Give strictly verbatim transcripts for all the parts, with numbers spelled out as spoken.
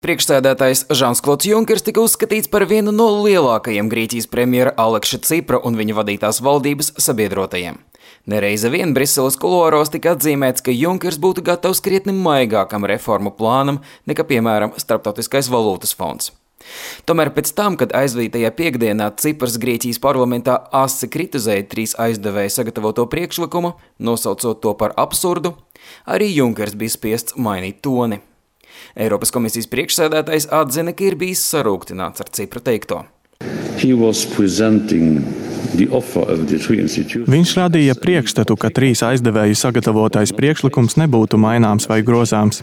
Priekšsēdētājs Žans-Klods Junkers tika uzskatīts par vienu no lielākajiem Grieķijas premjera Aleksa Cipra un viņa vadītās valdības sabiedrotajiem. Nereize vien Briseles kuluāros tika atzīmēts, ka Junkers būtu gatavs krietni maigākam reformu plānam nekā, piemēram, Starptautiskais valūtas fonds. Tomēr pēc tam, kad aizvadītajā piekdienā Ciprs Grieķijas parlamentā asi kritizēja trīs aizdevēju sagatavoto priekšlikumu, nosaucot to par absurdu, arī Junkers bija spiests mainīt toni. Eiropas komisijas priekšsēdētājs atzina, ka ir bijis sarūktināts ar Cipra teikto. Viņš radīja priekšstatu, ka trīs aizdevēju sagatavotais priekšlikums nebūtu maināms vai grozāms.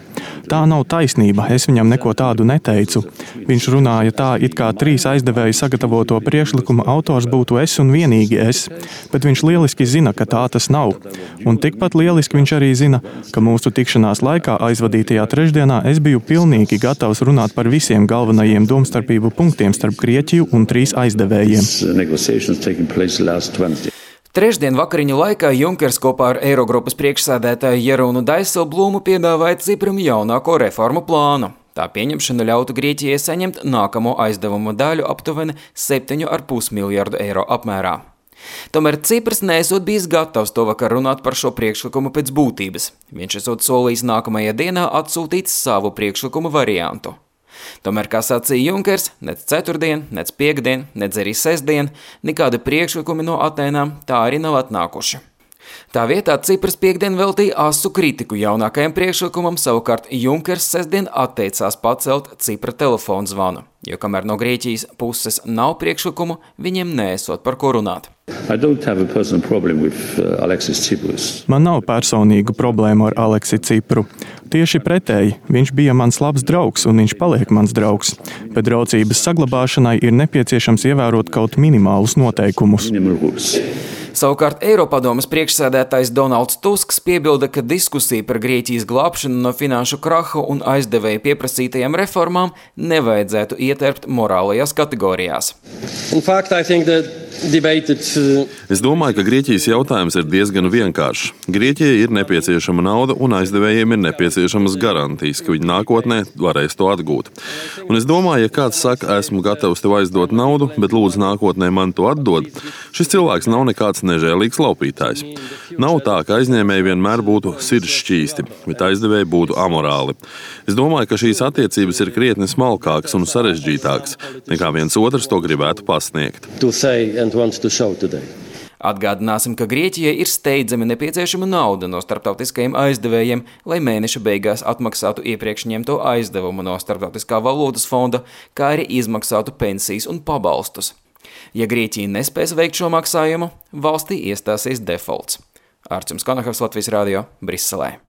Tā nav taisnība, es viņam neko tādu neteicu. Viņš runāja tā, it kā trīs aizdevēju sagatavoto priekšlikumu autors būtu es un vienīgi es, bet viņš lieliski zina, ka tā tas nav. Un tikpat lieliski viņš arī zina, ka mūsu tikšanās laikā aizvadītajā trešdienā es biju pilnīgi gatavs runāt par visiem galvenajiem domstarpību punktiem starp Grieķiju un trīs aizdevējiem. Trešdien vakariņu laikā Junkers kopā ar Eirogrupas priekšsēdētāju Jerūnu Dijsselblūmu piedāvāja Cipram jaunāko reformu plānu. Tā pieņemšana ļautu Grieķijai saņemt nākamo aizdevumu daļu aptuveni septiņu ar pus miljardu eiro apmērā. Tomēr Ciprs neesot bijis gatavs to vakar runāt par šo priekšlikumu pēc būtības. Viņš esot solījis nākamajā dienā atsūtīt savu priekšlikumu variantu. Tomēr, kā sacīja Junkers, nec ceturtdien, nec piekdien, nec arī sestdien, nekādi priekšlikumi no Atēnām tā arī nav atnākuši. Tā vietā Ciprs piekdien veltīja asu kritiku jaunākajam priekšlikumam, savukārt Junkers sestdien atteicās pacelt Cipra telefonu zvanu, jo kamēr no Grieķijas puses nav priekšlikumu, viņiem neesot par ko runāt. With, uh, Man nav personīgu problēmu ar Aleksi Cipru. Tieši pretēji, viņš bija mans labs draugs un viņš paliek mans draugs, bet draudzības saglabāšanai ir nepieciešams ievērot kaut minimālus noteikumus. Savukārt Eiropadomes priekšsēdētājs Donalds Tusks piebilda, ka diskusija par Grieķijas glābšanu no finanšu kraha un aizdevēju pieprasītajām reformām nevajadzētu ieterpt morālajās kategorijās. In fact, I think that Debated... Es domāju, ka Grieķijas jautājums ir diezgan vienkāršs. Grieķijai ir nepieciešama nauda un aizdevējiem ir nepieciešamas garantijas, ka viņi nākotnē varēs to atgūt. Un es domāju, ja kāds saka, esmu gatavs tev aizdot naudu, bet lūdzu nākotnē man to atdod, šis cilvēks nav nekāds nežēlīgs laupītājs. Nav tā, ka aizņēmēji vienmēr būtu sirdšķīsti, bet aizdevēji būtu amorāli. Es domāju, ka šīs attiecības ir krietni smalkākas un sarežģītākas, nekā viens otrs to gribētu pasniegt. Atgādināsim, ka Grieķijai ir steidzami nepieciešama nauda no starptautiskajiem aizdevējiem, lai mēneša beigās atmaksātu iepriekš ņemto aizdevumu no Starptautiskā valūtas fonda, kā arī izmaksātu pensijas un pabalstus. Ja Grieķija nespēs veikt šo maksājumu, valstī iestāsies defaults. Ārčuns Konahavs, Latvijas radio, Briselē.